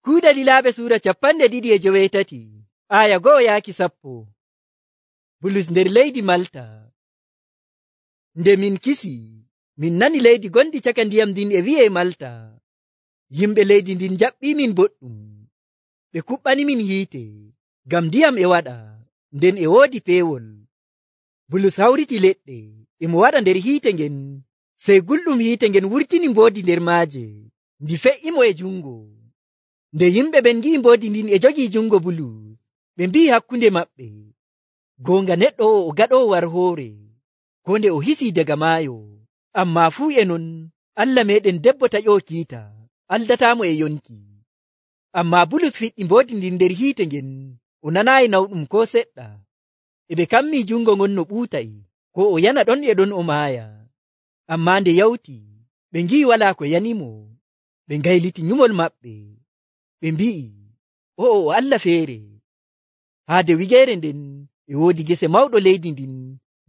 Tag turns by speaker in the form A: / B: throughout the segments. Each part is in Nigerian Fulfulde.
A: Kuuɗe Lilaaɓe suura 2:18 aya 1-10. Bulus nder leydi Malta. Nde min kisi, min nani leydi gondi caka ndiyam ndin e wi'e Malta. Yimɓe leydi ndin jaɓɓimin boɗɗum. Ɓe kuɓɓanimin hiite, ngam ndiyam e waɗa, nden e woodi peewol. Bulus hawriti leɗɗe emo waɗa nder hiite ngen, sey gulɗum hiite ngen wurtini mboodi nder maaje, ndi fe'imo e jungo. Nde yimɓe ɓen ngi'i mboodi ndin e jogii jungo Bulus, ɓe mbi'i hakkunde maɓɓe, goonga neɗɗo o gaɗoowo war hoore, ko nde o hisii daga maayo. Ammaa fuu e non, Allah meeɗen debbo taƴoo kiita, aldataamo e yonki. Ammaa Bulus fiɗɗi mboodi ndin nder hiite ngen, o nanaayi nawɗum ko seɗɗa. E ɓe kammii jungo ngon no ɓuutay, ko o yana ɗon e ɗon o maaya. Ammaa nde yawti, ɓe ngi'i walaa ko yanimo, ɓe ngayliti nyumol maɓɓe. Ɓe mbi'i, o'o o Allah feere. Haade wigeere nden e woodi gese mawɗo leydi ndin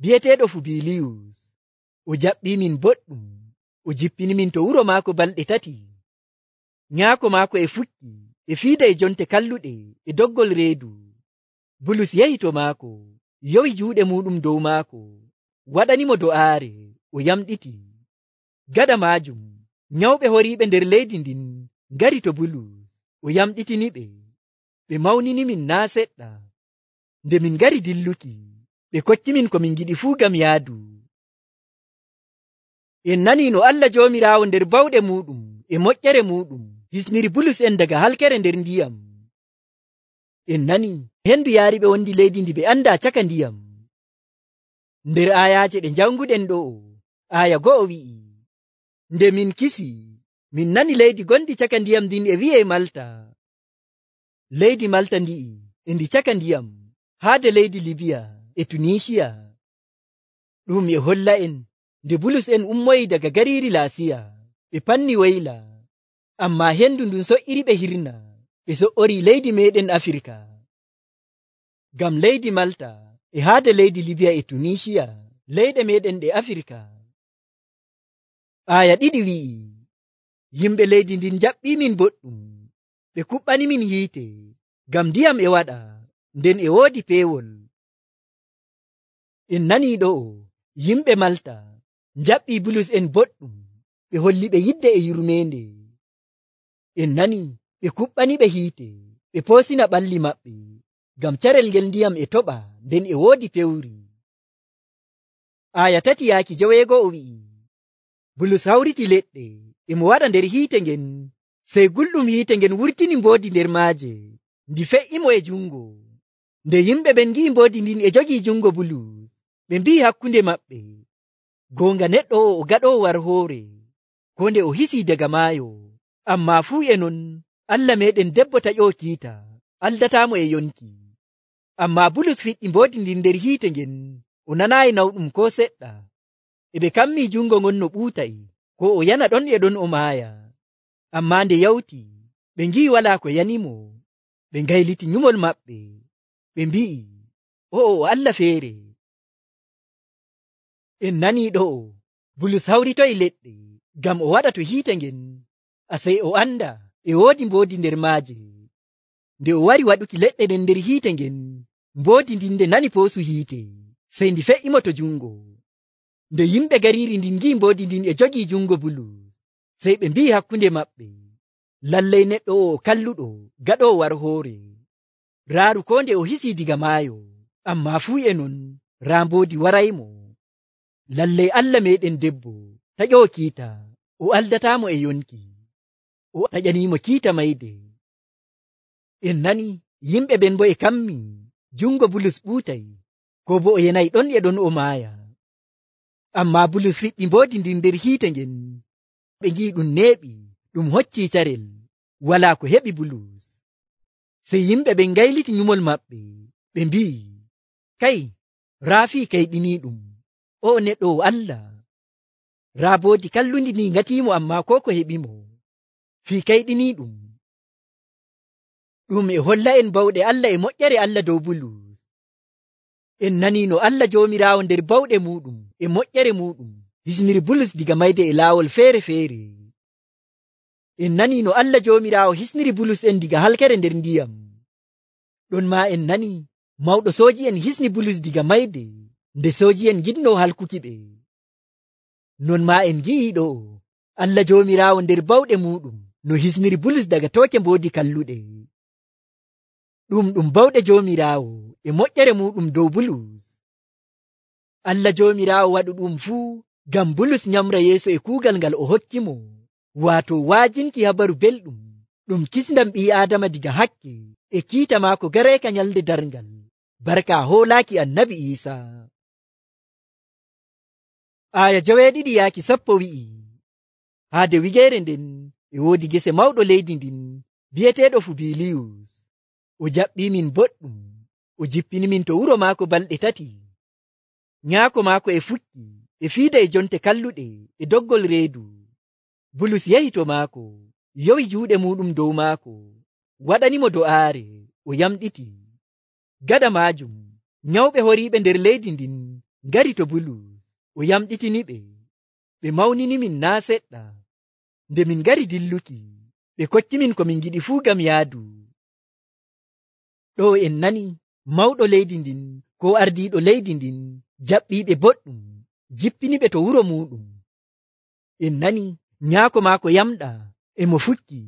A: bi'eteeɗo Fubiliyus. O jaɓɓimin boɗɗum, o jippinimin to wuro maako balɗe 3. Nyaako maako e fukki e fiida e jonte kalluɗe e doggol reedu. Bulus yahi to maako, yowi juuɗe muɗum dow maako, waɗanimo do'aare, o yamɗiti. Gaɗa maajum, nyawɓe horiiɓe nder leydi ndin ngari to Bulus, o yamɗitiniɓe. Ɓe mawninimin naa seɗɗa. Nde min ngari dilluki, ɓe kokkimin ko min giɗi fuu ngam yaadu. En nanii no Allah Joomiraawo nder bawɗe muɗum e moƴƴere muɗum hisniri Bulus en daga halkere nder ndiyam. En nanii hendu yaariɓe wondi leydi ndi ɓe anda caka ndiyam. Nder ayaaje ɗe janguɗen ɗo'o, aya 1 wi'i, nde min kisi, min nani leydi gondi caka ndiyam ndin e wi'e Malta. Leydi Malta ndi'i e ndi caka ndiyam, haade leydi Libiya e Tunisiya. Ɗum e holla en nde Bulus en ummoyi daga gariiri Laasiya, ɓe panni wayla, ammaa hendu ndun so'iri ɓe hirna, ɓe so'ori leydi meɗen Afirka. Ngam leydi Malta e haade leydi Libiya e Tunisiya, leyɗe meɗen ɗe Afirka. Aya 2 wi'i, yimɓe leydi ndin jaɓɓimin boɗɗum, ɓe kuɓɓanimin hiite, ngam ndiyam e waɗa, nden e woodi peewol. En nanii ɗo'o, yimɓe Malta jaɓɓii Bulus en boɗɗum, ɓe holli ɓe yidde e yurmeende. En nanii ɓe kuɓɓani ɓe hiite, ɓe poosina ɓalli maɓɓe, ngam carel ngel ndiyam e toɓa, nden e woodi pewri. Aya 3-9 wi'i, Bulus hawriti leɗɗe emo waɗa nder hiite ngen, sey gulɗum hiite ngen wurtini mboodi nder maaje, ndi fe'imo e jungo. Nde yimɓe ɓen ngi'i mboodi ndin e jogii jungo Bulus, ɓe mbi'i hakkunde maɓɓe, goonga neɗɗo o gaɗoowo war hoore, ko nde o hisii daga maayo. Ammaa fuu e non, Allah meeɗen debbo taƴoo kiita, aldataamo e yonki. Ammaa Bulus fiɗɗi mboodi ndin nder hiite ngen, o nanaayi nawɗum ko seɗɗa. E ɓe kammii jungo ngon no ɓuutay, ko o yana ɗon e ɗon o maaya. Ammaa nde yawti, ɓe ngi'i walaa ko yanimo, ɓe ngayliti nyumol maɓɓe. Ɓe mbi'i, o'o o Allah feere. En nanii ɗo'o, Bulus hawritoyi leɗɗe ngam o waɗa to hiite ngen, asey o anda e woodi mboodi nder maaje. Nde o wari waɗuki leɗɗe ɗen nder hiite ngen, mboodi ndin nde nani poosu hiite, sey ndi fe'imo to jungo. Nde yimɓe gariiri ndin ngi'i mboodi ndin e jogii jungo Bulus, sey ɓe mbi'i hakkunde maɓɓe, lallay neɗɗo o kalluɗo gaɗoowo war hoore. Raaru ko nde o hisii diga maayo, ammaa fuu e non, raa mboodi waraymo. Lallay Allah meeɗen debbo taƴoo kiita, o aldataamo e yonki, o taƴaniimo kiita mayde. En nani yimɓe ɓen bo e kammi jungo Bulus ɓuutay, ko bo o yenayi ɗon e ɗon o maaya. Ammaa Bulus fiɗɗi mboodi ndin nder hiite ngen, ɓe ngi'i ɗum neeɓi, ɗum hoccii carel, walaa ko heɓi Bulus. Sey yimɓe ɓen ngayliti nyumol maɓɓe, ɓe mbi'i, kay, raa fii kayɗiniiɗum, o neɗɗo o Allah. Raa mboodi kallundi ni ngatiimo, ammaa ko ko heɓimo, fii kayɗiniiɗum. Ɗum e holla en bawɗe Allah e moƴƴere Allah dow Bulus. En nanii no Allah Joomiraawo nder bawɗe muɗum e moƴƴere muɗum hisniri Bulus diga mayde e laawol feere-feere. En nani no Allah Joomiraawo hisniri Bulus en diga halkere nder ndiyam. Ɗon ma en nani mawɗo sooji'en hisni Bulus diga mayde nde sooji'en ngiɗno halkuki ɓe. Non ma en gi'i ɗo Allah Joomiraawo nder bawɗe muɗum no hisniri Bulus daga tooke mboodi kalluɗe. Ɗum bawɗe Joomiraawo e moƴƴere muɗum dow Bulus. Allah Joomiraawo waɗu ɗum fuu ngam Bulus nyamra yeeso e kuugal ngal o hokkimo, waato waajinki habaru belɗum ɗum kisndam ɓii Aadama diga hakke e kiita maako gareeka nyalde darngal, barka hoolaaki Annabi Iisaa. Aya 7-10 wi'i, haade wigeere nden e woodi gese mawɗo leydi ndin bi'eteeɗo Fubiliyus. O jaɓɓiimin boɗɗum, o jippinimin to wuro maako balɗe 3. Nyaako maako e fukki e fiida e jonte kalluɗe e doggol reedu. Bulus yahi to maako, yowi juuɗe muɗum dow maako, waɗanimo do'aare, o yamɗiti. Gaɗa maajum nyawɓe horiiɓe nder leydi ndin ngari to Bulus, o yamɗitiniɓe. Ɓe mawninimin naa seɗɗa. Nde min ngari dilluki, ɓe kokkimin ko min ngiɗi fuu ngam yaadu. Ɗo en nani mawɗo leydi ndin ko ardiiɗo leydi ndin jaɓɓiiɓe boɗɗum, jippiniɓe to wuro muɗum. En nani nyaako maako yamɗa, emo fukki,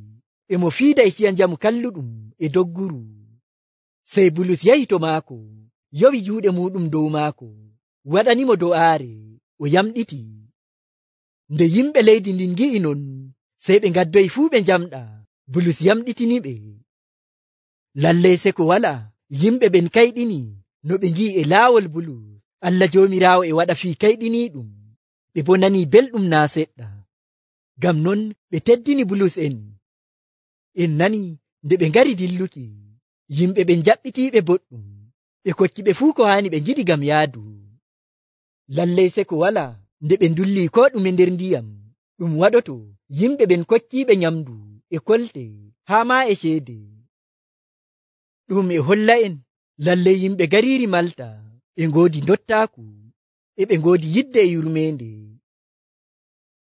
A: emo fiida e ciya njamu kalluɗum e dogguru. Sey Bulus yahi to maako, yowi juuɗe muɗum dow maako, waɗanimo do'aare, o yamɗiti. Nde yimɓe leydi ndin gi'i non, sey ɓe ngaddoyi fuu ɓe njamɗa. Bulus yamɗitiniɓe. Lallay seko wala, yimɓe ɓen kayɗini no ɓe ngi'i e laawol Bulus Allah Joomiraawo e waɗa fii kayɗiniiɗum. Ɓe bo nani belɗum naa seɗɗa. Ngam non ɓe teddini Bulus en. En nani nde ɓe ngari dilluki, yimɓe ɓen jaɓɓitiiɓe boɗɗum, ɓe kokki ɓe fuu ko haani ɓe ngiɗi ngam yaadu. Lallay seko wala, nde ɓe ndulli ko ɗume nder ndiyam, ɗum waɗoto yimɓe ɓen kokkiiɓe nyamdu e kolte haa ma e ceede. Ɗum e holla en lallay yimɓe gariiri Malta ɓe ngoodi dottaaku, e ɓe ngoodi yidde e yurmeende.